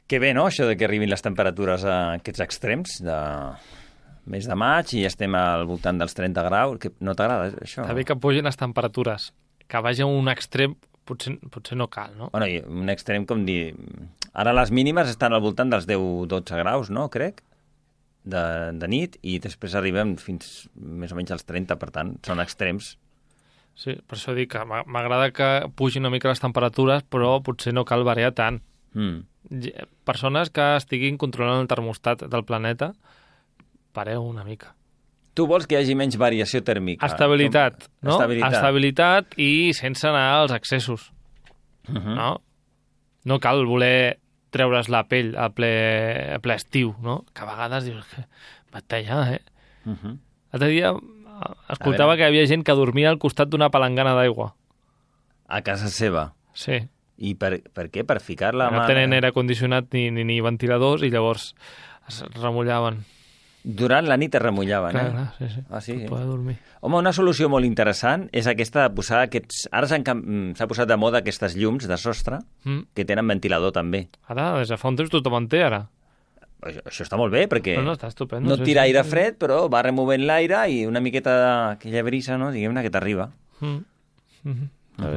Que bé, no?, això de que arribin les temperatures a aquests extrems de mes de maig i estem al voltant dels 30 graus. Que no t'agrada, això? Està bé que pugin les temperatures. Que vagi a un extrem potser no cal, no? Bueno, i un extrem com dir... Ara les mínimes estan al voltant dels 10-12 graus, no?, crec, de nit, i després arribem fins més o menys als 30, per tant, són extrems. Sí, per això dic que m'agrada que pugin una mica les temperatures, però potser no cal variar tant. Persones que estiguin controlant el termostat del planeta, pareu una mica. Tu vols que hi hagi menys variació tèrmica. Estabilitat, no? Estabilitat i sense anar als excessos. No? No cal voler treure's la pell a ple estiu, no? Que a vegades dius que batalla, L'altre dia escoltava que hi havia gent que dormia al costat d'una palangana d'aigua. A casa seva? Sí. I per què? Per ficar-la... No tenen aire condicionat ni ventiladors i llavors es remullaven. Durant la nit es remullaven, Clar, sí. Ah, sí? Per poder dormir. Home, una solució molt interessant és aquesta de posar aquests... Ara s'ha posat de moda aquestes llums de sostre que tenen ventilador també. Ara, des de fa un temps tothom en té, ara. Això està molt bé, perquè no, està estupendo, no tira aire fred, però va removent l'aire i una miqueta d'aquella brisa, no?, diguem-ne, que t'arriba.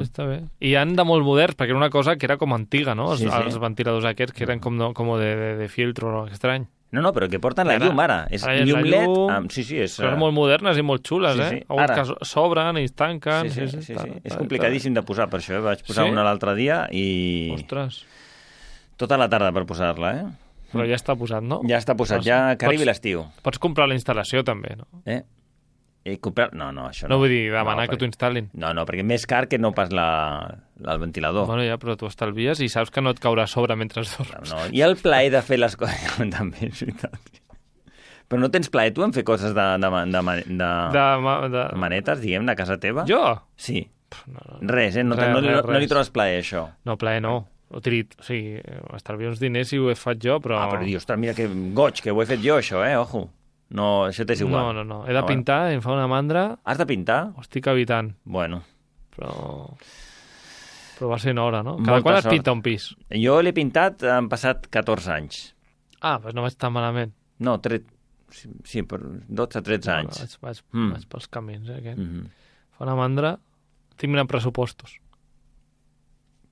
Està bé. I han de molt moderns, perquè era una cosa que era com antiga, no? Els ventiladors aquests que eren com de filtro estrany. No, però que porten la llum ara. És llum LED. Sí, és... Són molt modernes i molt xules, que s'obren i es tanquen. Sí. És complicadíssim de posar, per això. Vaig posar una l'altre dia i... Ostres. Tota la tarda per posar-la, Però ja està posat, no? Ja està posat, ja que arribi l'estiu. Pots comprar la instal·lació, també, no? Comprar... No, això no. No vull dir demanar que t'ho instal·lin. No, perquè més car que no pas el ventilador. Bueno, ja, però tu estalvies i saps que no et caurà a sobre mentre dorms. No, i el plaer de fer les coses... També, és veritat. Però no tens plaer tu en fer coses de manetes, diguem, a casa teva? Jo? Sí. Res, no li trobes plaer, això? No, plaer no. O sigui, estalvio uns diners si ho he fet jo, però... Però dius, mira que goig, que ho he fet jo, això, ojo. No, això t'és igual. No. He de pintar, em fa una mandra... Has de pintar? Ho estic evitant. Bueno. Però va ser en hora, no? Cada quan es pinta un pis? Jo l'he pintat, han passat 14 anys. Doncs no vaig tan malament. No, sí, per 12-13 anys. Vaig pels camins, Fa una mandra, tinc mirant pressupostos.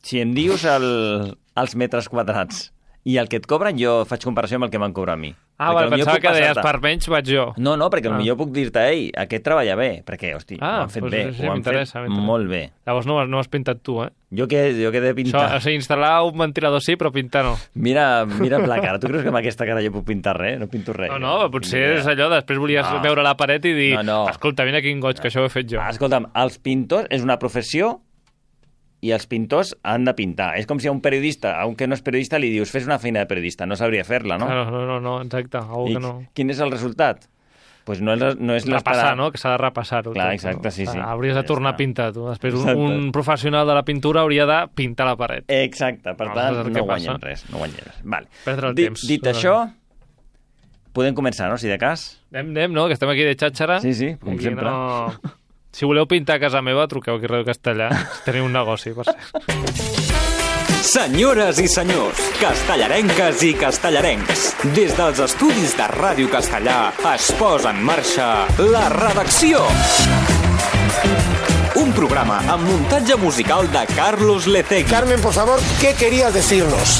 Si em dius els metres quadrats i el que et cobren, jo faig comparació amb el que m'han cobrat a mi. Pensava que deies per menys vaig jo. No, perquè potser puc dir-te, aquest treballa bé, perquè, hosti, ho han fet bé, ho han fet molt bé. Llavors no has pintat tu, Jo que he de pintar. O sigui, instal·lar un ventilador sí, però pintar no. Mira la cara, tu creus que amb aquesta cara jo puc pintar res? No pinto res. No, potser és allò, després volies veure la paret i dir, escolta, mira quin goig, que això ho he fet jo. Escolta'm, els pintors és una professió i els pintors han de pintar. És com si a un periodista, a un que no és periodista, li dius fes una feina de periodista, no sabria fer-la, no? No, exacte, que no. Quin és el resultat? Pues no és repassar, no? Que s'ha de repassar-ho. Clar, exacte, sí. Hauries de tornar a pintar, tu. Després un professional de la pintura hauria de pintar la paret. Exacte, per tant, no guanyem res. Vale. Perdre el temps. Dit això, podem començar, no?, si de cas. Anem, no?, que estem aquí de xàtxara. Sí, com sempre. Si voleu pintar a casa meva, truqueu aquí a Ràdio Castellà. Teniu un negoci, per ser. Senyores i senyors, castellarenques i castellarencs, des dels estudis de Ràdio Castellà es posa en marxa La Redacció. Un programa amb muntatge musical de Carlos Lecegui. Carmen, por favor, ¿qué querías decirnos?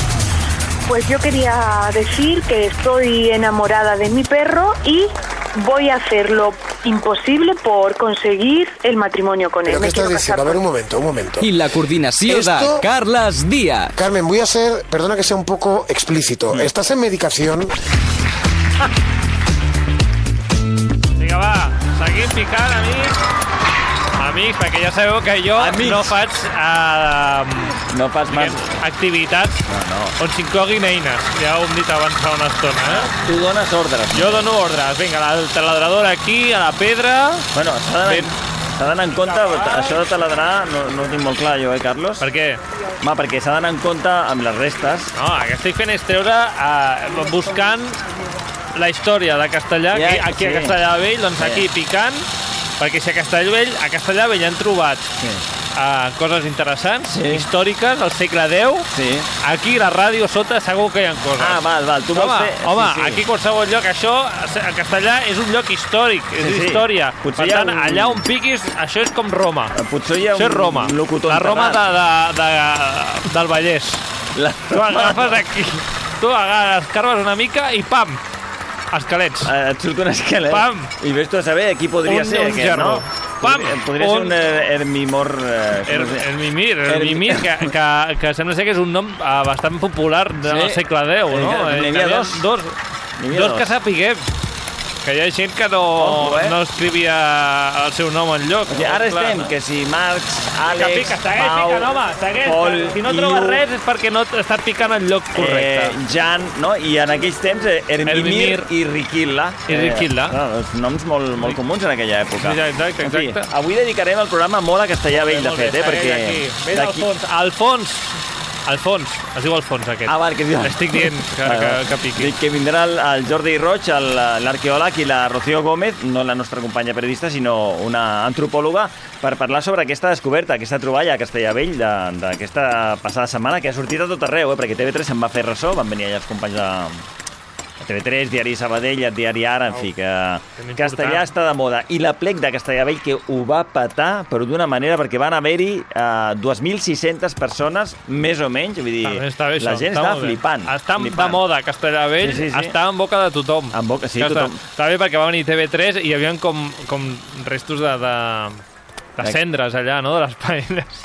Pues yo quería decir que estoy enamorada de mi perro y voy a hacer lo imposible por conseguir el matrimonio con él. ¿Pero qué estás diciendo? A ver, un momento. Y la coordinació de Carles Díaz. Carmen, voy a ser, perdona que sea un poco explícito. ¿Estás en medicación? Vinga, va, seguim picant, amics, perquè ja sabeu que jo no faig activitats on s'incloguin eines. Ja ho hem dit abans fa una estona. Tu dones ordres. Jo dono ordres. Vinga, la taladradora aquí, a la pedra... Bueno, s'ha d'anar en compte, això de taladrar no ho tinc molt clar jo, Carlos? Per què? Home, perquè s'ha d'anar en compte amb les restes. No, el que estic fent és treure, buscant la història de Castellà, aquí a Castellà Vell, doncs aquí picant, perquè si a Castellà Vell han trobat coses interessants, històriques, al segle X. Aquí, la ràdio sota, segur que hi ha coses. Val, tu vols fer... Home, aquí qualsevol lloc, això, a Castellà, és un lloc històric, és història. Per tant, allà on piquis, això és com Roma. Potser hi ha un locutor la Roma del Vallès. Tu agafes aquí, tu escarbes una mica i pam! Esquelets. Et surt un esquelet. Pam! I ves tu a saber qui podria ser aquest, no? Pam! Podria ser un Hermimor... Hermimir, que sembla ser que és un nom bastant popular del segle X, no? N'hi havia dos. Dos que sapiguem. Que hi ha gent que no escrivia el seu nom enlloc. O sigui, ara estem, que si Marx, Àlex, Pau, Pol, si no trobes res és perquè no està picant el lloc correcte. Jan, no? I en aquells temps, Hermimir i Riquilla. Els noms molt comuns en aquella època. Exacte. Avui dedicarem el programa molt a Castellà Vell, de fet, perquè... Ves al fons. Alfons, es diu Alfons aquest. Val, que es diu... Estic dient que piqui. Dic que vindrà el Jordi Roig, l'arqueòleg, i la Rocío Gómez, no la nostra companya periodista, sinó una antropòloga, per parlar sobre aquesta descoberta, aquesta troballa a Castellavell d'aquesta passada setmana, que ha sortit a tot arreu, perquè TV3 se'n va fer ressò, van venir allà els companys de TV3, Diari Sabadell, Diari Ara, en fi, que Castellà està de moda. I l'Aplec de Castellavell, que ho va petar, però d'una manera, perquè van haver-hi 2.600 persones, més o menys, vull dir, la gent estava flipant. Està de moda, Castellavell, està en boca de tothom. En boca, sí, tothom. Està bé perquè va venir TV3 i hi havia com restos de cendres allà, no?, de les paelles.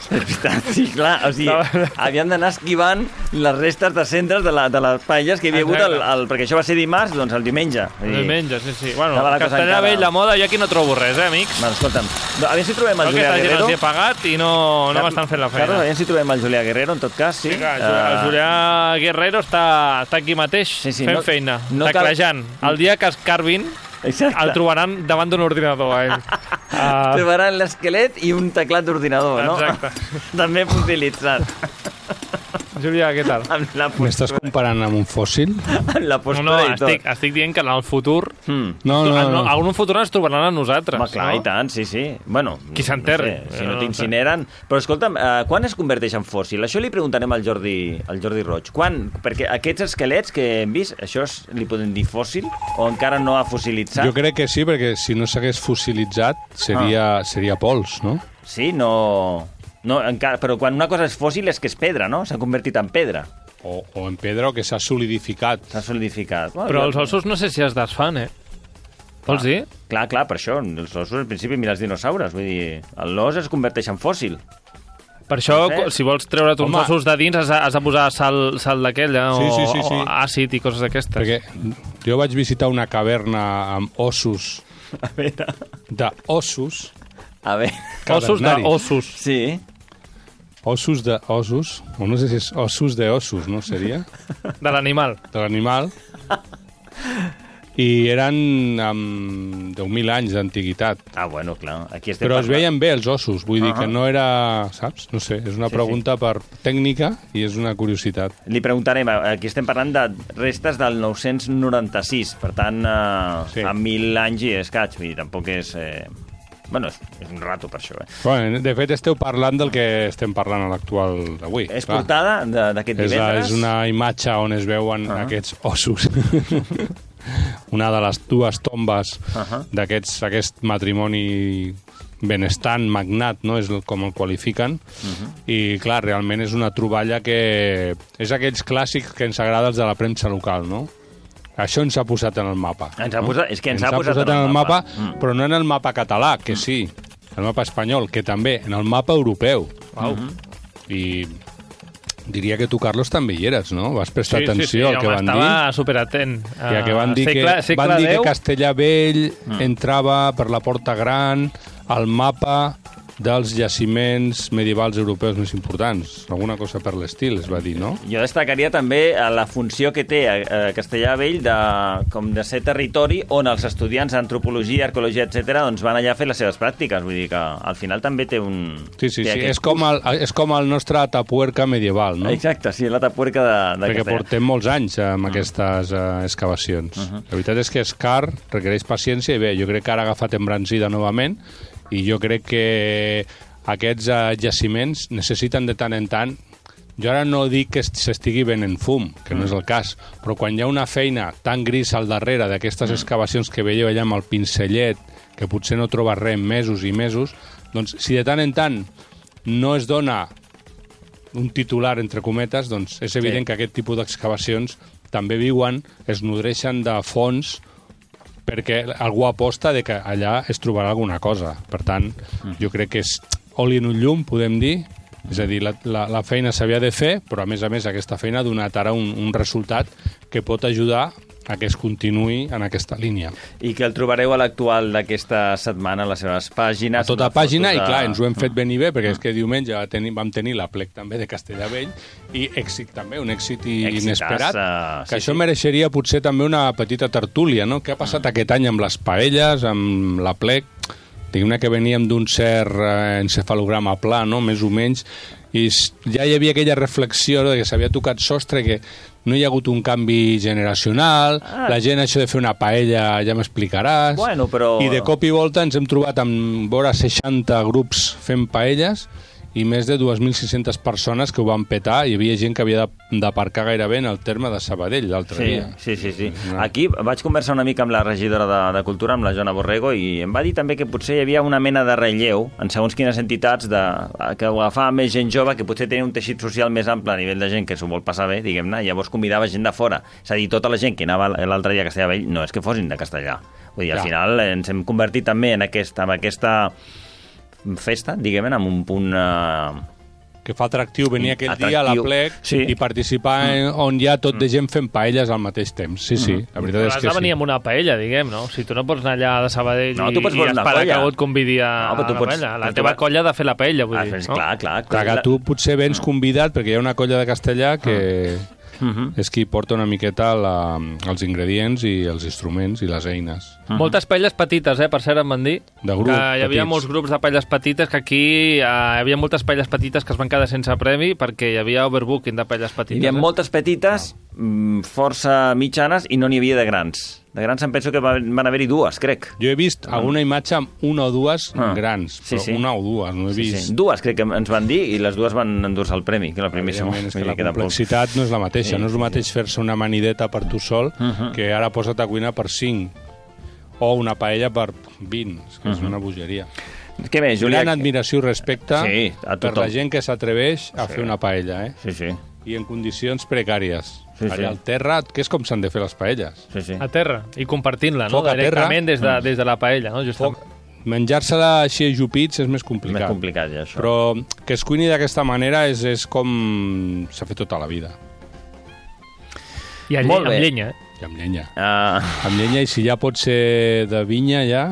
Sí, clar, o sigui, havien d'anar esquivant les restes de cendres de les paelles que hi havia hagut, perquè això va ser dimarts, doncs el diumenge. Diumenge, sí. Bueno, Castellà Vell, la moda, jo aquí no trobo res, amics? Bueno, escolta'm, a veure si trobem el Julià Guerrero. Aquesta gent els he pagat i no m'estan fent la feina. Claro, a veure si trobem el Julià Guerrero, en tot cas, sí. El Julià Guerrero està aquí mateix, fent feina, teclejant. El dia que es carvin, el trobaran davant d'un ordinador, a ell. Trobaran l'esquelet i un teclat d'ordinador, no? Exacte. També utilitzat. Julià, què tal? M'estàs comparant amb un fòssil? Amb la postura i tot. Estic dient que en el futur... No. En un futur ens trobaran a nosaltres. Home, clar, i tant, sí. Bueno, qui s'enterri. Si no t'incineren. Però escolta'm, quan es converteix en fòssil? Això li preguntarem al Jordi Roig. Quan? Perquè aquests esquelets que hem vist, això li podem dir fòssil? O encara no ha fossilitzat? Jo crec que sí, perquè si no s'hagués fossilitzat seria pols, no? Sí, no, encara, però quan una cosa és fòssil és que és pedra, no? S'ha convertit en pedra. O en pedra, o que s'ha solidificat. Però els ossos no sé si es desfan, Vols dir? Clar, per això. Els ossos, al principi, mira els dinosaures. Vull dir, l'os es converteix en fòssil. Per això, si vols treure't uns ossos de dins, has de posar sal d'aquella o àcid i coses d'aquestes. Perquè jo vaig visitar una caverna amb ossos. A veure... D'ossos. A veure... Ossos d'ossos. Sí. Ossos d'ossos, o no sé si és ossos d'ossos, no seria? De l'animal. De l'animal. I eren amb 10.000 anys d'antiguitat. Bueno, clar. Aquí però es veien bé els ossos, vull dir que no era... Saps? No sé, és una pregunta per tècnica i és una curiositat. Li preguntarem, aquí estem parlant de restes del 996, per tant, amb 1.000 anys i escaig, vull dir, tampoc és... Bueno, és un rato per això, Bueno, de fet, esteu parlant del que estem parlant a l'actual d'avui. És portada d'aquest divendres? És una imatge on es veuen aquests ossos. Una de les dues tombes d'aquest matrimoni benestant, magnat, no? És com el qualifiquen. I, clar, realment és una troballa que... És aquells clàssics que ens agrada els de la premsa local, no? Això ens ha posat en el mapa. És que ens ha posat en el mapa. Però no en el mapa català, que sí, el mapa espanyol, que també, en el mapa europeu. I diria que tu, Carlos, també hi eres, no? Vas prestar atenció al que van dir. Estava superatent. Que van dir que Castellavell entrava per la Porta Gran al mapa dels jaciments medievals europeus més importants. Alguna cosa per l'estil, es va dir, no? Jo destacaria també la funció que té a Castellavell de ser territori on els estudiants d'antropologia, arqueologia, etc., doncs van allà a fer les seves pràctiques. Vull dir que al final també té un... Sí. És com el nostre Atapuerca medieval, no? Exacte, sí, l'Atapuerca de Castellà. Perquè portem molts anys amb aquestes excavacions. La veritat és que és car, requereix paciència i bé, jo crec que ara ha agafat embranzida novament i jo crec que aquests jaciments necessiten de tant en tant. Jo ara no dic que s'estigui venent fum, que no és el cas, però quan hi ha una feina tan gris al darrere d'aquestes excavacions que veieu allà amb el pincellet, que potser no trobes res en mesos i mesos, doncs si de tant en tant no es dona un titular, entre cometes, doncs és evident que aquest tipus d'excavacions també viuen, es nodreixen de fons perquè algú aposta de que allà es trobarà alguna cosa. Per tant, jo crec que és oli en un llum, podem dir. És a dir, la feina s'havia de fer, però a més aquesta feina ha donat ara un resultat que pot ajudar a que es continuï en aquesta línia. I que el trobareu a l'actual d'aquesta setmana a les seves pàgines. A tota pàgina, i clar, ens ho hem fet ben i bé, perquè és que diumenge vam tenir l'Aplec també de Castellavell, i èxit també, un èxit inesperat, que això mereixeria potser també una petita tertúlia, no? Què ha passat aquest any amb les paelles, amb l'Aplec? Diguem-ne que veníem d'un cert encefalograma pla, no? Més o menys, i ja hi havia aquella reflexió de que s'havia tocat sostre, que no hi ha hagut un canvi generacional, la gent això de fer una paella ja m'explicaràs, i de cop i volta ens hem trobat amb vora 60 grups fent paelles, i més de 2.600 persones que ho van petar, i hi havia gent que havia d'aparcar gairebé en el terme de Sabadell l'altre dia. Sí. Aquí vaig conversar una mica amb la regidora de Cultura, amb la Joana Borrego, i em va dir també que potser hi havia una mena de relleu en segons quines entitats que ho agafava més gent jove, que potser tenia un teixit social més ample a nivell de gent que s'ho vol passar bé, diguem-ne, i llavors convidava gent de fora. És a dir, tota la gent que anava l'altre dia a Castellavell no és que fossin de Castellà. Vull dir, al final ens hem convertit també en aquesta festa, diguem-ne, amb un punt... que fa atractiu venir aquell dia a l'Aplec i participar on hi ha tot de gent fent paelles al mateix temps. Sí, la veritat és que has de venir amb una paella, diguem, no? Si tu no pots anar allà de Sabadell i esperar que algú et convidi a la paella. La teva colla ha de fer la paella, vull dir. Clar, tu potser vens convidat perquè hi ha una colla de Castellà que... és qui porta una miqueta els ingredients i els instruments i les eines. Moltes paelles petites, per cert, em van dir. De grup, hi havia molts grups de paelles petites, que aquí hi havia moltes paelles petites que es van quedar sense premi perquè hi havia overbooking de paelles petites. Hi havia moltes petites, força mitjanes, i no n'hi havia de grans. De grans em penso que van haver-hi dues, crec. Jo he vist alguna imatge amb una o dues grans, però una o dues, no he vist. Dues, crec que ens van dir, i les dues van endur-se el premi. Que la complexitat no és la mateixa. No és el mateix fer-se una amanideta per tu sol que ara posa't a cuinar per 5 o una paella per 20. És que és una bogeria. Què més, Julià? Gran admiració i respecte per la gent que s'atreveix a fer una paella, Sí. I en condicions precàries. Allà al terra, que és com s'han de fer les paelles. A terra, i compartint-la, no? Directament des de la paella, no? Menjar-se-la així ajupits és més complicat. Més complicat, ja, això. Però que es cuini d'aquesta manera és com s'ha fet tota la vida. I amb llenya, I amb llenya. Amb llenya, i si ja pot ser de vinya, ja...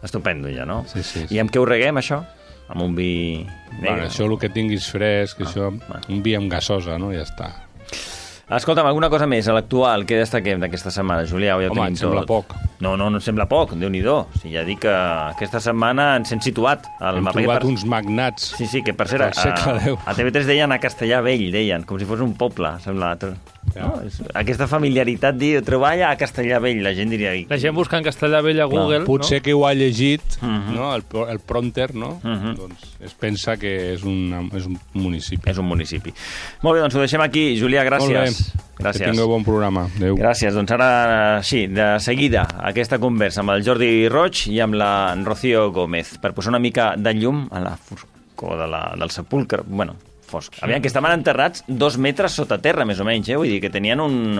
Estupendo, ja, no? Sí. I amb què ho reguem, això? Amb un vi negre? Això el que tinguis fresc, un vi amb gasosa, no? Ja està. Escolta'm, alguna cosa més a l'actual que destaquem d'aquesta setmana, Julià? Home, em sembla poc. No sembla poc, Déu-n'hi-do. Ja dic que aquesta setmana ens hem situat. Hem trobat uns magnats. Sí, que per cert, a TV3 deien a Castellavell, deien, com si fos un poble, sembla. No? Aquesta familiaritat, treballa a Castellavell, la gent diria... La gent buscant Castellavell a Google, potser que ho ha llegit, no? El prompter, no? Doncs es pensa que és un municipi. És un municipi. Molt bé, doncs ho deixem aquí. Julià, gràcies. Gràcies. Que tingueu bon programa. Adéu. Gràcies. Doncs ara, sí, de seguida, aquesta conversa amb el Jordi Roig i amb la Rocío Gómez, per posar una mica de llum a la foscor del sepulcre. Bueno, fosc. Aviam, que estaven enterrats 2 metres sota terra, més o menys, Vull dir que tenien un...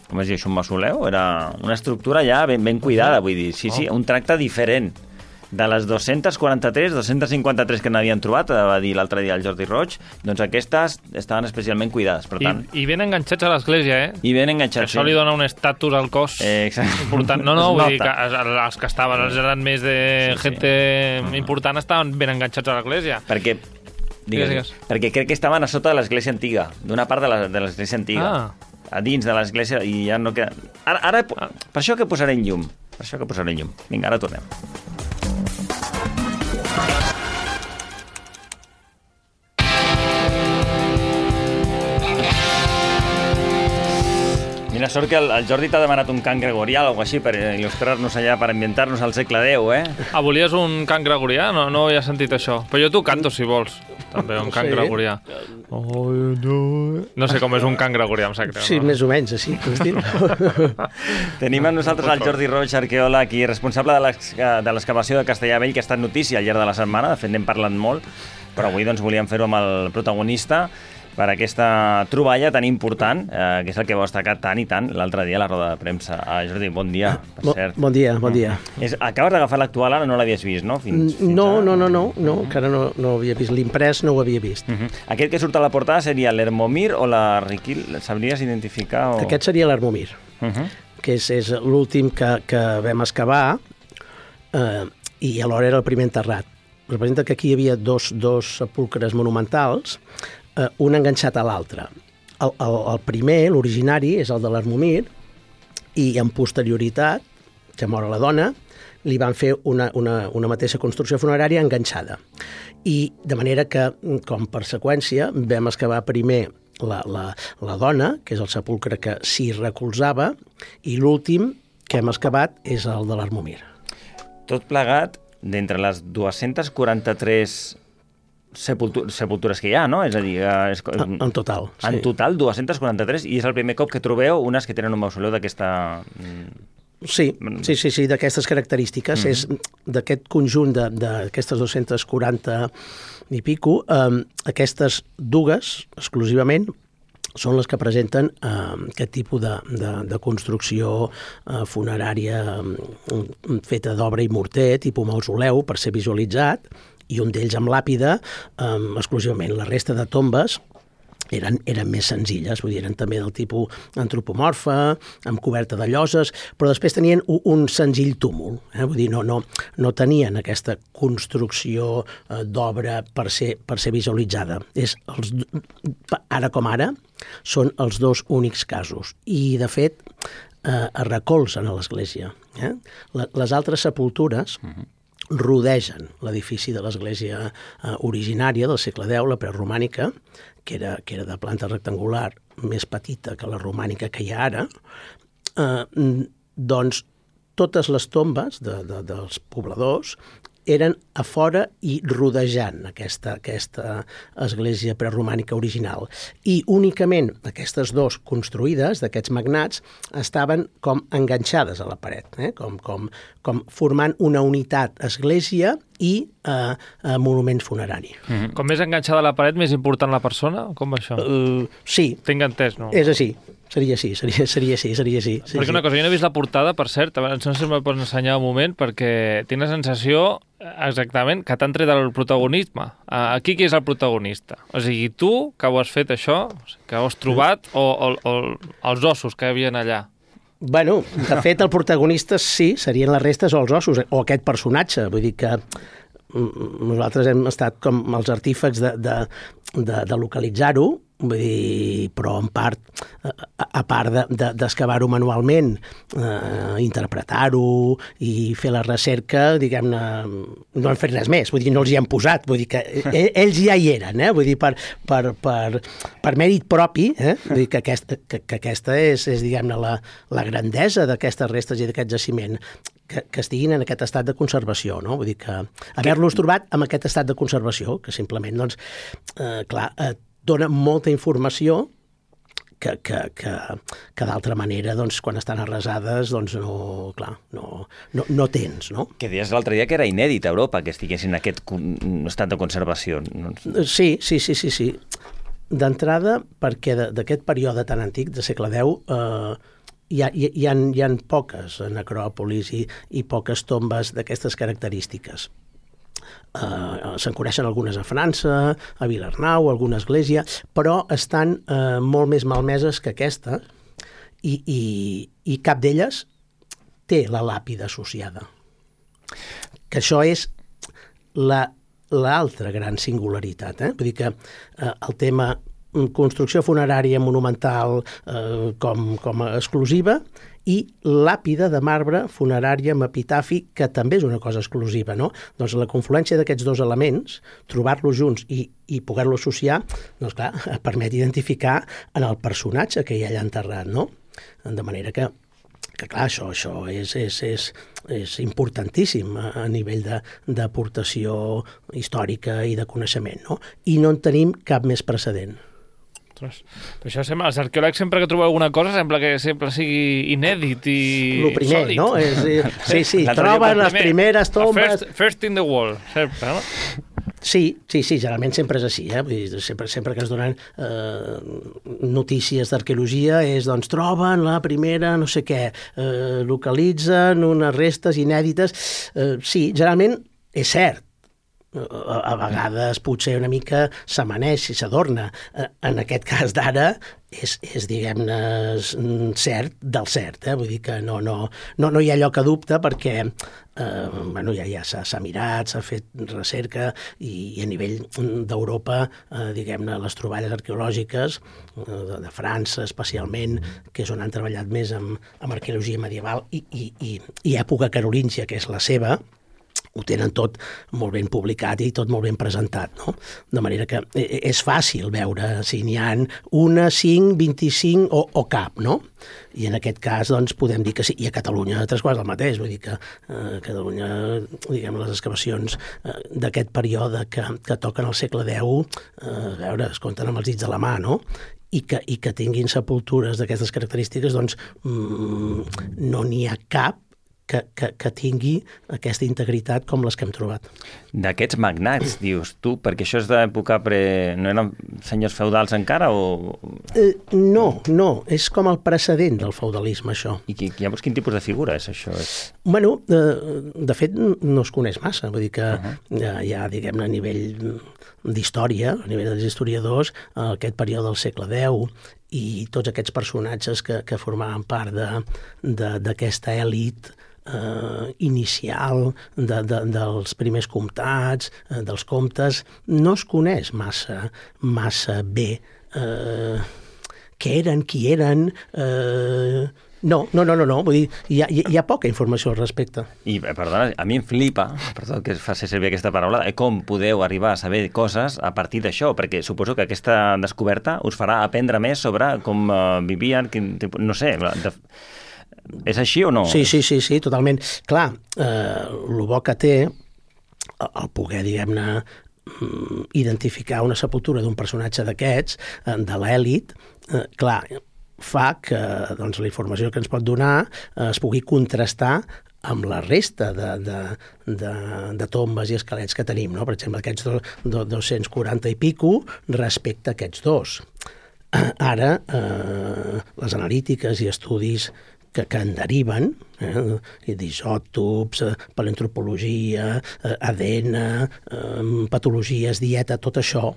com es diu això, un mausoleu? Era una estructura ja ben cuidada, vull dir. Sí, un tracte diferent. De les 243, 253 que n'havien trobat, va dir l'altre dia el Jordi Roig, doncs aquestes estaven especialment cuidades, per tant... I ben enganxats a l'església, I ben enganxats, Això li dona un estatus al cos important. No, vull dir que els que estaven, els eren més de gente important, estaven ben enganxats a l'església. Perquè crec que estaven a sota de l'església antiga, d'una part de l'església antiga. A dins de l'església, i ja no queda... Ara, per això que posaré en llum. Vinga, ara tornem. Quina sort que el Jordi t'ha demanat un cant gregorià o alguna així per il·lustrar-nos allà, per ambientar-nos al segle X, Ah, volies un cant gregorià? No havia sentit això. Però jo t'ho canto, si vols. També, un cant gregorià. No sé com és un cant gregorià, em sap greu. Sí, més o menys, així. Tenim amb nosaltres el Jordi Roig, arqueòleg i responsable de l'excavació de Castellar-Vell, que ha estat notícia al llarg de la setmana. De fet, n'hem parlat molt, però avui volíem fer-ho amb el protagonista per aquesta troballa tan important, que és el que vau destacar tant i tant l'altre dia a la roda de premsa. Jordi, bon dia, per cert. Bon dia. Acabes d'agafar l'actual, ara no l'havies vist, no? No, encara no havia vist l'imprès, no ho havia vist. Aquest que surt a la portada seria l'Hermomir o la Riquil? Sabries identificar? Aquest seria l'Hermomir, que és l'últim que vam excavar i alhora era el primer enterrat. Representa que aquí hi havia dos sepulcres monumentals, un enganxat a l'altre. El primer, l'originari, és el de l'Hermomir, i en posterioritat, que mor la dona, li van fer una mateixa construcció funerària enganxada. I de manera que, com per seqüència, vam excavar primer la dona, que és el sepulcre que s'hi recolzava, i l'últim que hem excavat és el de l'Hermomir. Tot plegat, d'entre les 243 sepultures que hi ha, no? És a dir, en total. En total, 243, i és el primer cop que trobeu unes que tenen un mausoleu d'aquesta... Sí, d'aquestes característiques. És d'aquest conjunt d'aquestes 240 i pico, aquestes dues, exclusivament, són les que presenten aquest tipus de construcció funerària feta d'obra i morter, tipus mausoleu, per ser visualitzat, i un d'ells amb làpida, exclusivament. La resta de tombes eren més senzilles, vull dir, eren també del tipus antropomorfa, amb coberta de lloses, però després tenien un senzill túmul, vull dir, no tenien aquesta construcció d'obra per ser visualitzada. Ara com ara, són els dos únics casos. I, de fet, es recolzen a l'església. Les altres sepultures rodegen l'edifici de l'església originària del segle X, la preromànica, que era de planta rectangular, més petita que la romànica que hi ha ara, doncs totes les tombes dels pobladors eren a fora i rodejant aquesta església preromànica original. I únicament aquestes dos construïdes, d'aquests magnats, estaven com enganxades a la paret, com formant una unitat església i monument funerari. Com més enganxada a la paret, més important la persona? Com va això? Sí. Tinc entès, no? És així. Seria així. Perquè una cosa, jo no he vist la portada, per cert, no sé si me'l pots ensenyar un moment, perquè tinc la sensació exactament que t'han tret el protagonisme. Aquí qui és el protagonista? O sigui, tu, que ho has fet això, que ho has trobat, o els ossos que hi havia allà? Bueno, de fet, el protagonista sí, serien les restes o els ossos, o aquest personatge. Vull dir que nosaltres hem estat com els artífex de localitzar-ho, vull dir, però en part, a part d'excavar-ho manualment, interpretar-ho i fer la recerca, diguem-ne, no han fet res més, vull dir, no els hi han posat, vull dir que ells ja hi eren, vull dir, per mèrit propi, vull dir que aquesta és diguem-ne, la grandesa d'aquestes restes i d'aquest jaciment, que estiguin en aquest estat de conservació, no? Vull dir que haver-los trobat en aquest estat de conservació, que simplement, doncs, clar, dona molta informació que d'altra manera, doncs, quan estan arrasades, doncs, no tens, no? Que deies l'altre dia que era inèdit a Europa que estiguessin en aquest estat de conservació. Sí. D'entrada, perquè d'aquest període tan antic, de segle X, hi ha poques necròpolis i poques tombes d'aquestes característiques. Se'n coneixen algunes a França, a Vilarnau, alguna església, però estan molt més malmeses que aquesta i cap d'elles té la làpida associada. Que això és l'altra gran singularitat. Vull dir que el tema construcció funerària monumental com a exclusiva i làpida de marbre funerària amb epitafi, que també és una cosa exclusiva, no? Doncs la confluència d'aquests dos elements, trobar-los junts i poder-los associar, doncs clar, permet identificar en el personatge que hi ha allà enterrat, no? De manera que clar, això és importantíssim a nivell d'aportació històrica i de coneixement, no? I no en tenim cap més precedent. Ostres, però això sembla, els arqueòlegs sempre que trobeu alguna cosa sembla que sempre sigui inèdit i lo primer, sòlid. No? Sí, troben les primeres tombes... First in the wall, sempre, no? Sí, generalment sempre és així, vull dir, sempre que ens donen notícies d'arqueologia és, doncs, troben la primera no sé què, localitzen unes restes inèdites. Sí, generalment és cert, a vegades potser una mica s'amaneix i s'adorna. En aquest cas d'ara és diguem-ne, cert del cert. Vull dir que no hi ha lloc a dubte perquè ja s'ha mirat, s'ha fet recerca i a nivell d'Europa, diguem-ne, les troballes arqueològiques de França especialment, que és on han treballat més amb arqueologia medieval i època carolíngia, que és la seva, ho tenen tot molt ben publicat i tot molt ben presentat, no? De manera que és fàcil veure si n'hi ha una, 5, 25 o cap, no? I en aquest cas, doncs, podem dir que sí. I a Catalunya, 3/4 del mateix. Vull dir que a Catalunya, diguem, les excavacions d'aquest període que toquen al segle X, a veure, es compten amb els dits de la mà, no? I que tinguin sepultures d'aquestes característiques, doncs, no n'hi ha cap que tingui aquesta integritat com les que hem trobat. D'aquests magnats, dius tu, perquè això és d'època no eren senyors feudals encara o...? No, és com el precedent del feudalisme, això. I llavors quin tipus de figura és això? Bueno, de fet no es coneix massa, vull dir que hi ha, diguem-ne, a nivell d'història, a nivell dels historiadors, aquest període del segle X i tots aquests personatges que formaven part d'aquesta elit inicial dels primers comtats, dels comtes, no es coneix massa bé què eren, qui eren... No, vull dir, hi ha poca informació al respecte. I, perdona, a mi em flipa, perdó que faci servir aquesta paraula, com podeu arribar a saber coses a partir d'això, perquè suposo que aquesta descoberta us farà aprendre més sobre com vivien, no sé... És així o no? Sí, totalment. Clar, el bo que té el poder, diguem-ne, identificar una sepultura d'un personatge d'aquests, de l'èlit, clar, fa que doncs, la informació que ens pot donar es pugui contrastar amb la resta de tombes i esquelets que tenim, no? Per exemple, aquests 240 i pico respecte a aquests dos. Ara, les analítiques i estudis que en deriven, d'isòtops, paleoantropologia, ADN, patologies, dieta, tot això,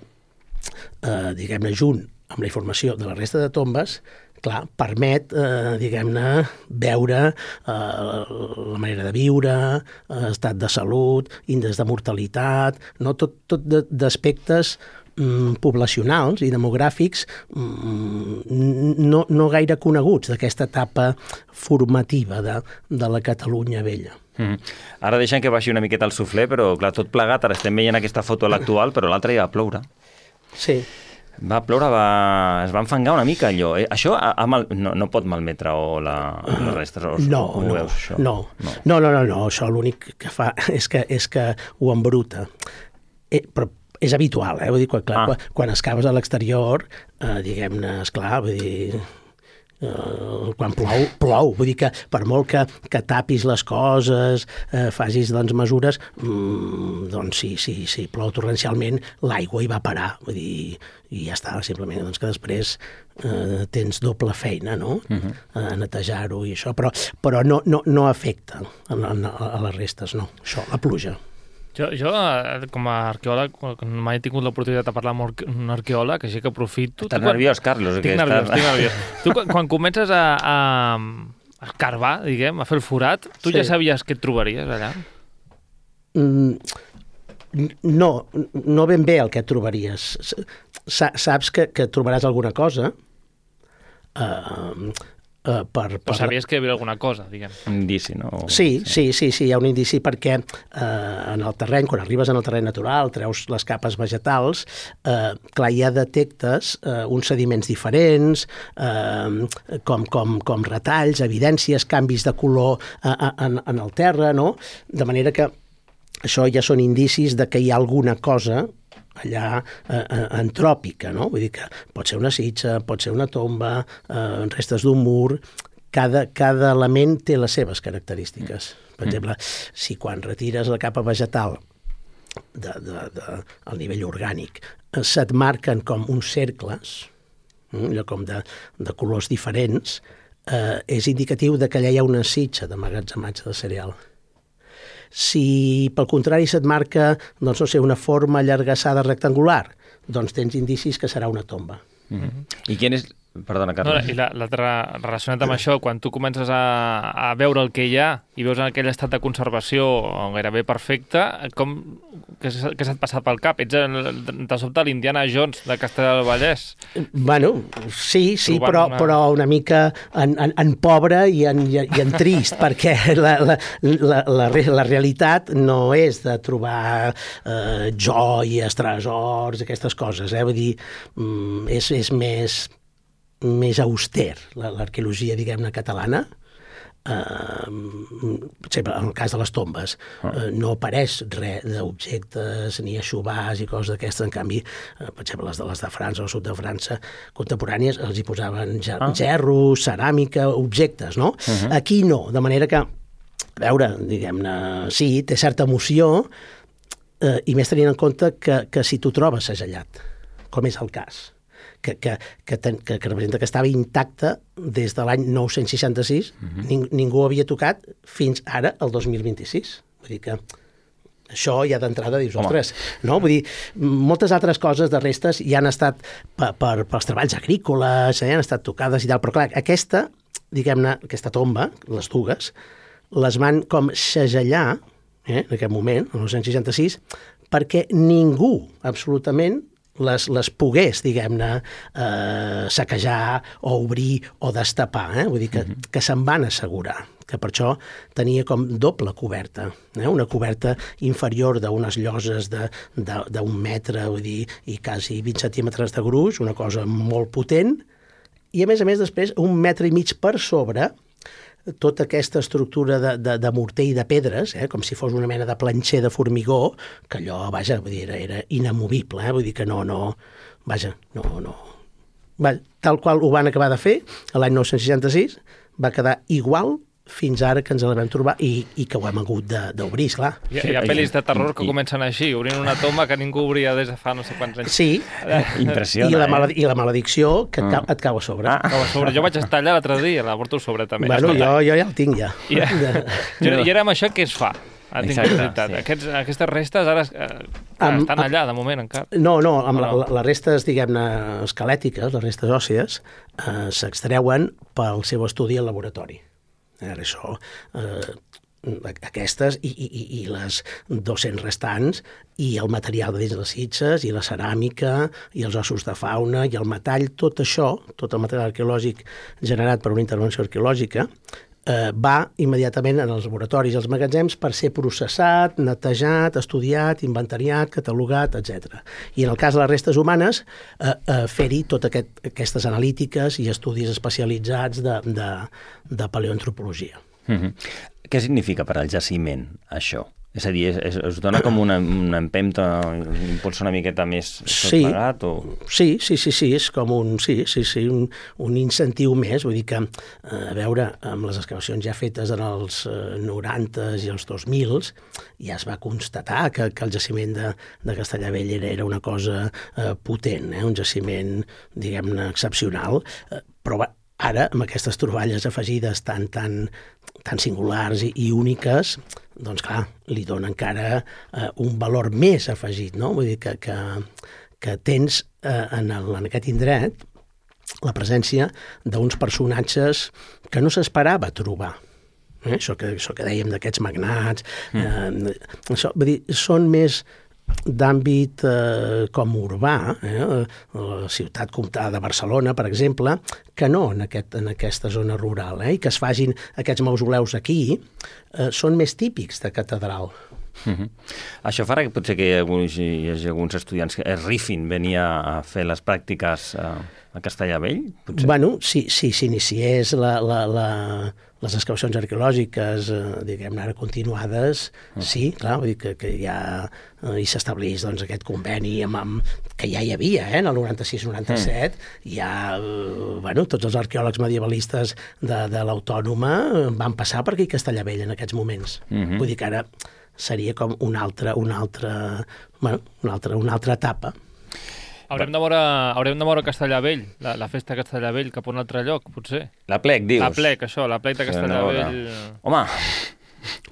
diguem-ne, junt amb la informació de la resta de tombes, clar, permet, diguem-ne, veure la manera de viure, estat de salut, índex de mortalitat, no? Tot d'aspectes poblacionals i demogràfics no gaire coneguts d'aquesta etapa formativa de la Catalunya vella. Ara deixem que baixi una miqueta el suflé, però clar, tot plegat, ara estem veient aquesta foto a l'actual, però l'altra ja va ploure. Sí. Va ploure, es va enfangar una mica allò. Això no pot malmetre les restes? No, això l'únic que fa és que ho embruta. Però és habitual, vull dir, quan excaves a l'exterior, diguem-ne, esclar, vull dir, quan plou, vull dir que per molt que tapis les coses, facis, doncs, mesures, doncs si plou torrencialment, l'aigua hi va parar, vull dir, i ja està, simplement, doncs que després tens doble feina, no?, a netejar-ho i això, però no afecta a les restes, no, això, la pluja. Jo, com a arqueòleg, mai he tingut l'oportunitat de parlar amb un arqueòleg, així que aprofito. Estàs nerviós, Carlos? Estic nerviós. Tu, quan comences a escarbar, diguem, a fer el forat, tu ja sabies què et trobaries allà? No ben bé el que et trobaries. Saps que trobaràs alguna cosa, Però sabies que hi havia alguna cosa, diguem. Un indici, no? Sí, hi ha un indici perquè en el terreny, quan arribes en el terreny natural, treus les capes vegetals, clar, ja detectes uns sediments diferents, com retalls, evidències, canvis de color en el terra, no? De manera que això ja són indicis de que hi ha alguna cosa allà antròpica, no? Vull dir que pot ser una sitja, pot ser una tomba, restes d'un mur. Cada element té les seves característiques. Per exemple, si quan retires la capa vegetal al nivell orgànic se't marquen com uns cercles, allò com de colors diferents, és indicatiu de que allà hi ha una sitja d'emmagatzematge de cereal. Si, pel contrari, se't marca, doncs, no sé, una forma allargassada rectangular, doncs tens indicis que serà una tomba. I quin és... Perdona, Carles. I l'altre, relacionat amb això, quan tu comences a veure el que hi ha i veus en aquell estat de conservació gairebé perfecte, què se't passa pel cap? Ets, de sobte, l'Indiana Jones de Castellar del Vallès? Bueno, sí, però una mica en pobre i en trist, perquè la realitat no és de trobar joies, tresors, aquestes coses, vull dir, és més auster, l'arqueologia, diguem-ne, catalana. En el cas de les tombes, no apareix res d'objectes ni aixovars i coses d'aquestes. En canvi, per exemple, les de França o sud de França contemporànies els hi posaven gerros, ceràmica, objectes, no? Aquí no, de manera que, a veure, diguem-ne, sí, té certa emoció, i més tenint en compte que si tu trobes segellat, com és el cas, que representa que estava intacte des de l'any 966, ningú havia tocat fins ara, el 2026. Vull dir que això ja d'entrada dius, ostres, no? Vull dir, moltes altres coses de restes ja han estat pels treballs agrícoles, ja han estat tocades i tal, però clar, aquesta, diguem-ne, aquesta tomba, les dugues, les van com segellar, en aquest moment, el 966, perquè ningú, absolutament, les pogués, diguem-ne, saquejar o obrir o destapar. Vull dir que se'n van assegurar, que per això tenia com doble coberta, una coberta inferior d'unes lloses d'un metre, vull dir, i quasi 20 centímetres de gruix, una cosa molt potent, i a més després 1,5 metres per sobre tota aquesta estructura de morter i de pedres, com si fos una mena de planxer de formigó, que allò, vaja, vull dir, era inamovible, vull dir que no. Tal qual ho van acabar de fer, l'any 966, va quedar igual fins ara que ens la vam trobar i que ho hem hagut d'obrir, esclar. Hi ha pel·lis de terror que comencen així, obrint una tomba que ningú obria des de fa no sé quants anys. Sí, impressiona, i la maledicció que et cau a sobre. Jo vaig estar allà l'altre dia, la porto a sobre també. Bueno, jo ja el tinc ja. I ara amb això què es fa? Aquestes restes ara estan allà, de moment, encara. No, les restes, diguem-ne, esquelètiques, les restes òssies, s'extreuen pel seu estudi al laboratori. Això, aquestes i les 200 restants i el material de dins les sitges i la ceràmica i els ossos de fauna i el metall, tot això, tot el material arqueològic generat per una intervenció arqueològica, va immediatament en els laboratoris i els magatzems per ser processat, netejat, estudiat, inventariat, catalogat, etc. I en el cas de les restes humanes, fer-hi totes aquestes analítiques i estudis especialitzats de paleoantropologia. Què significa per al jaciment, això? És a dir, es dona com una empenta, un impuls una miqueta més plegat? Sí, és com un incentiu més. Vull dir que, a veure, amb les excavacions ja fetes en els 90s i els 2000s, ja es va constatar que el jaciment de Castellar Vell era una cosa potent, un jaciment, diguem-ne, excepcional, però ara, amb aquestes troballes afegides tan singulars i úniques, doncs clar, li dona encara un valor més afegit, no? Vull dir que tens en aquest indret la presència d'uns personatges que no s'esperava trobar. Això que dèiem d'aquests magnats, vull dir, són més d'àmbit com urbà, la ciutat comtal de Barcelona, per exemple, que no en aquesta zona rural, i que es facin aquests mausoleus aquí, són més típics de catedral. Això farà que potser que hi hagi alguns estudiants que es rifin venir a fer les pràctiques a Castellabell? Potser? Bueno, si s'iniciés les excavacions arqueològiques, diguem-ne ara continuades, sí, clar, vull dir que ja hi s'establís aquest conveni que ja hi havia, en el 96-97, ja, tots els arqueòlegs medievalistes de l'Autònoma van passar per aquí a Castellabell en aquests moments. Vull dir que ara seria com una altra etapa. Haurem de moure Castellabell, la festa de Castellabell, cap a un altre lloc, potser. La plec, dius? La plec de Castellabell. Home...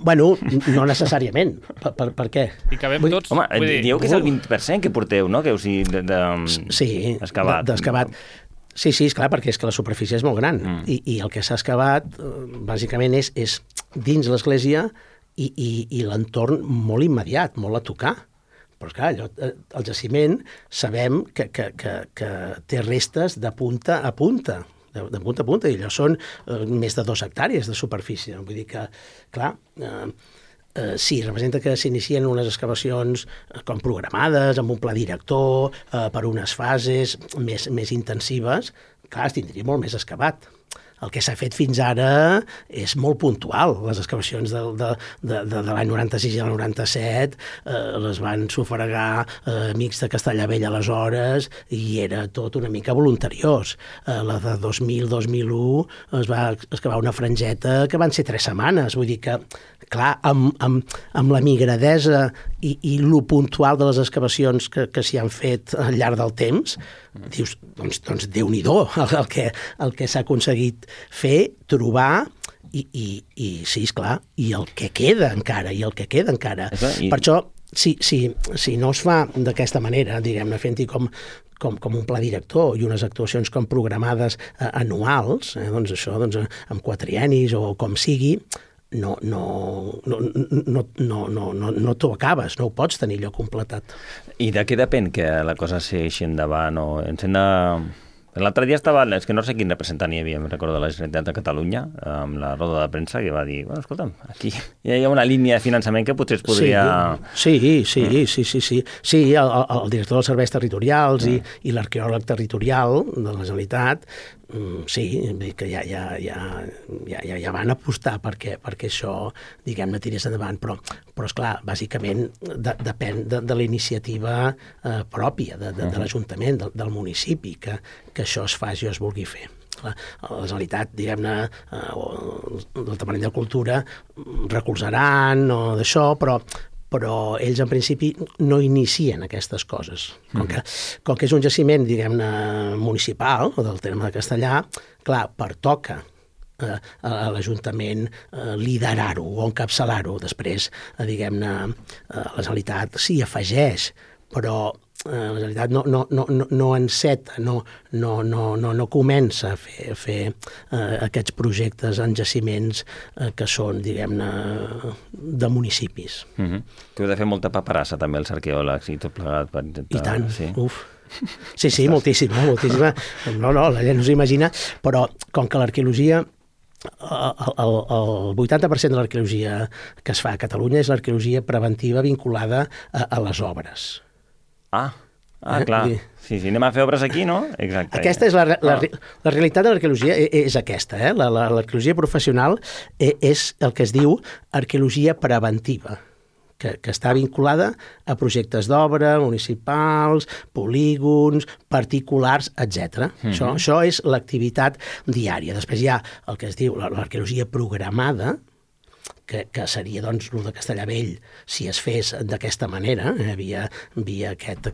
Bueno, no necessàriament. Per què? I que vam tots... Home, dieu que és el 20% que porteu, no? Que heu d'excavat. D'excavat. Sí, esclar, perquè és que la superfície és molt gran. I el que s'ha excavat, bàsicament, és dins l'església i l'entorn molt immediat, molt a tocar. Però, clar, el jaciment sabem que té restes de punta a punta, i allò són més de 2 hectàrees de superfície. Vull dir que, clar, sí, representa que s'inicien unes excavacions com programades, amb un pla director, per unes fases més intensives. Clar, es tindria molt més excavat. El que s'ha fet fins ara és molt puntual. Les excavacions de l'any 96 i el 97 les van sufragar amics de Castellabell aleshores i era tot una mica voluntariós. La de 2000-2001 es va excavar una frangeta que van ser 3 setmanes. Vull dir que, clar, amb la migradesa i lo puntual de les excavacions que s'hi han fet al llarg del temps, dius, doncs Déu-n'hi-do el que s'ha aconseguit fer, trobar i sí, esclar, i el que queda encara. Per això, si no es fa d'aquesta manera, diguem-ne, fent-hi com un pla director i unes actuacions com programades anuals, doncs això, amb quatriennis o com sigui, no t'ho acabes, no ho pots tenir allò completat. I de què depèn que la cosa segueixi endavant? L'altre dia estava, és que no sé quin representant hi havia, em recordo, de la Generalitat de Catalunya, amb la roda de premsa, que va dir, bueno, escolta'm, aquí hi ha una línia de finançament que potser es podria... Sí, el director dels serveis territorials i l'arqueòleg territorial de la Generalitat, sí, que ja van apostar perquè això, diguem-ne, tirés endavant, però esclar, bàsicament depèn de la iniciativa pròpia de l'Ajuntament, del municipi, que això es faci o es vulgui fer. La Generalitat, diguem-ne, el Departament de Cultura recolzaran o d'això, però ells en principi no inicien aquestes coses. Com que és un jaciment, diguem-ne, municipal, o del terme de Castellà, clar, pertoca a l'Ajuntament liderar-ho o encapçalar-ho. Després, diguem-ne, la Generalitat s'hi afegeix, però la Generalitat no enceta, no comença a fer aquests projectes en jaciments que són, diguem-ne, de municipis. Que heu de fer molta paperassa també els arqueòlegs i tot plegat per intentar... I tant, uf. Sí, moltíssima. No, la gent no s'imagina, però com que l'arqueologia... El 80% de l'arqueologia que es fa a Catalunya és l'arqueologia preventiva vinculada a les obres. Clar. Sí, anem a fer obres aquí, no? Exacte. Aquesta és la realitat de l'arqueologia, és aquesta. L'arqueologia professional és el que es diu arqueologia preventiva, que està vinculada a projectes d'obra, municipals, polígons, particulars, etc. Això és l'activitat diària. Després hi ha el que es diu l'arqueologia programada, que seria, doncs, el de Castellabell, si es fes d'aquesta manera, via aquest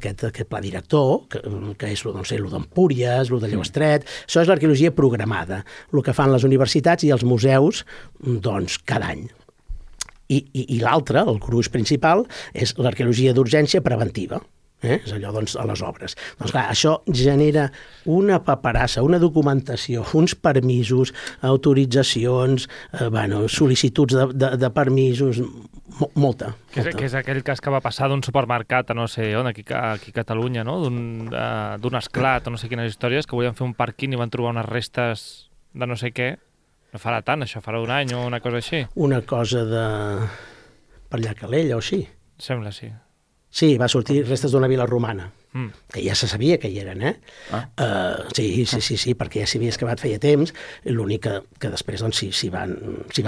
pla director, que és el d'Empúries, el de Lleuestret. Això és l'arqueologia programada, el que fan les universitats i els museus, doncs, cada any. I l'altre, el gruix principal, és l'arqueologia d'urgència preventiva. És allò, doncs, a les obres. Doncs clar, això genera una paperassa, una documentació, uns permisos, autoritzacions, sol·licituds de permisos Molta. Que és aquell cas que va passar d'un supermercat a no sé on, aquí a Catalunya, no? D'un esclat o no sé quines històries, que volien fer un pàrquing i van trobar unes restes de no sé què. No farà tant, això farà un any o una cosa així. Una cosa de... per allà Calella o així. Sembla, sí. Sí, va sortir restes d'una vila romana, que ja se sabia que hi eren, Sí, perquè ja s'hi havia excavat feia temps, l'únic que després doncs, s'hi va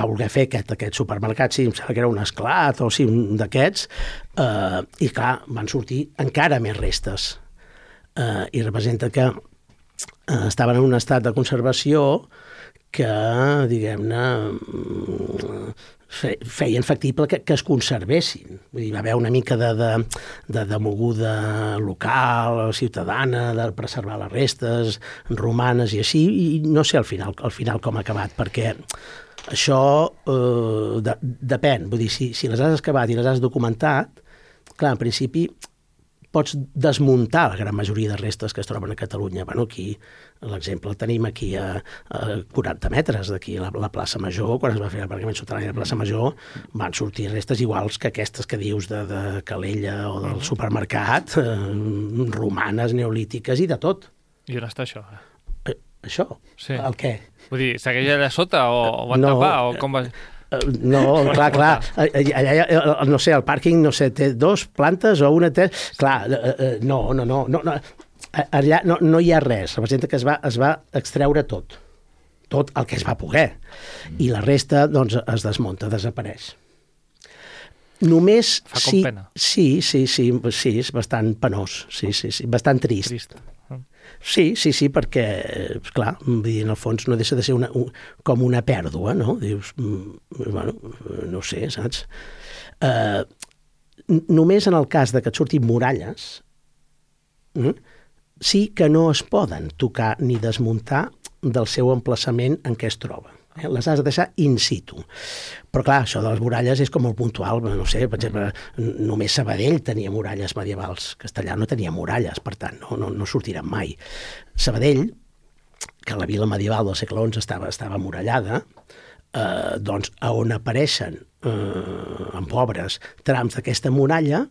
voler fer aquest supermercat, sí, em sembla que era un esclat o sí, un d'aquests, i clar, van sortir encara més restes, i representa que estaven en un estat de conservació que, diguem-ne, feien factible que es conservessin. Vull dir, va haver una mica de moguda local, ciutadana, de preservar les restes romanes i així, i no sé al final com ha acabat, perquè això depèn. Vull dir, si les has excavat i les has documentat, clar, en principi pots desmuntar la gran majoria de restes que es troben a Catalunya. Bueno, aquí l'exemple el tenim aquí a 40 metres d'aquí, a la plaça Major, quan es va fer l'aparcament subterrani de la plaça Major, van sortir restes iguals que aquestes que dius de Calella o del supermercat, romanes, neolítiques i de tot. I on està això? Això? Sí. El què? Vull dir, segueix allà sota o van tapar o com va... No, clar, allà, no sé, el pàrquing, no sé, té 2 plantes o una... Clar, no, allà no hi ha res, representa que es va extreure tot el que es va poder, i la resta, doncs, es desmunta, desapareix. Només... Fa com pena. Sí, és bastant penós, sí, bastant trist. Sí, perquè, clar, en el fons no deixa de ser com una pèrdua, no? Dius, bueno, no sé, saps? Només en el cas de que et surtin muralles, sí que no es poden tocar ni desmuntar del seu emplaçament en què es troba. Les has de deixar in situ. Però clar, això de les muralles és com el puntual, no sé, per exemple, només Sabadell tenia muralles medievals, Castellà no tenia muralles, per tant, no sortiran mai. Sabadell, que la vila medieval del segle XI estava murallada, doncs a on apareixen en obres trams d'aquesta muralla,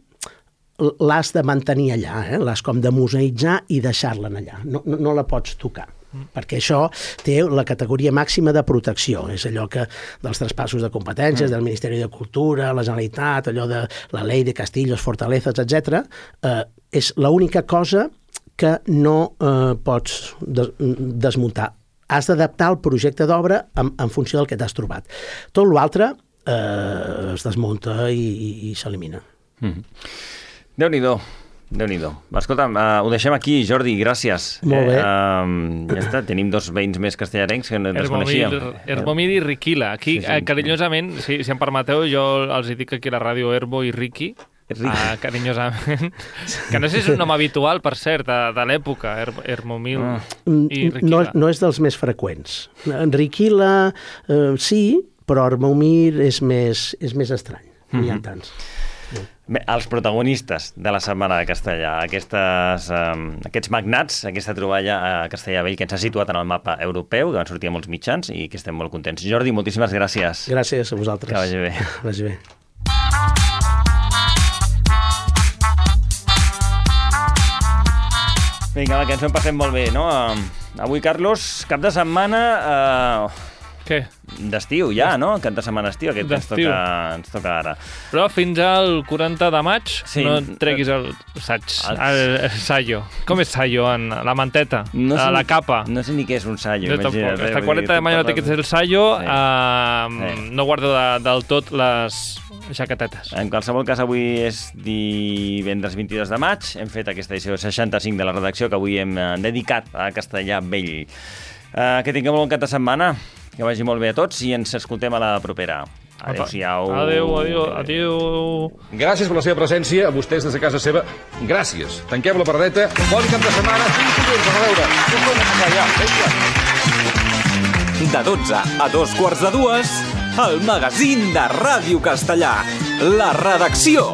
l'has de mantenir allà, l'has com de museïtzar i deixar-la allà, no la pots tocar. Perquè això té la categoria màxima de protecció, és allò que dels traspassos de competències del Ministeri de Cultura, la Generalitat, allò de la Ley de Castillos, Fortalezas, etc. És l'única cosa que no pots desmuntar. Has d'adaptar el projecte d'obra en funció del que t'has trobat. Tot l'altre es desmunta i s'elimina. Déu-n'hi-do. Escolta'm, ho deixem aquí, Jordi, gràcies. Molt bé. Ja està, tenim 2 veïns més castellarencs que no ens coneixíem. Hermomir i Riquila. Aquí, carinyosament, si em permeteu, jo els dic aquí a la ràdio Herbo i Riqui, carinyosament, que no sé si és un nom habitual, per cert, de l'època, Hermomir i Riquila. No és dels més freqüents. Riquila, sí, però Hermomir és més estrany. No hi ha tants. Bé, els protagonistes de la Setmana de Castellà, aquests magnats, aquesta troballa a Castellabell que ens ha situat en el mapa europeu, que van sortir a molts mitjans i que estem molt contents. Jordi, moltíssimes gràcies. Gràcies a vosaltres. Que vagi bé. Vagi bé. Vinga, que ens ho passem molt bé, no? Avui, Carlos, cap de setmana... Què? D'estiu ja, no? Cap de setmana estiu, aquest ens toca ara. Però fins al 40 de maig no treguis el saio. Com és saio? La manteta? La capa? No sé ni què és un saio. Fins al 40 de maig no treguis el saio, no guardo del tot les jaquetetes. En qualsevol cas, avui és divendres 22 de maig. Hem fet aquesta edició 65 de la redacció que avui hem dedicat a Castellabell. Que tingueu un bon cap de setmana. Que vagi molt bé a tots i ens escoltem a la propera. Adéu-siau. Adéu. Gràcies per la seva presència, a vostès des de casa seva. Gràcies. Tanquem la paradeta. Bon cap de setmana. De 12 a 2:15, el magazín de Ràdio Castellà. La redacció.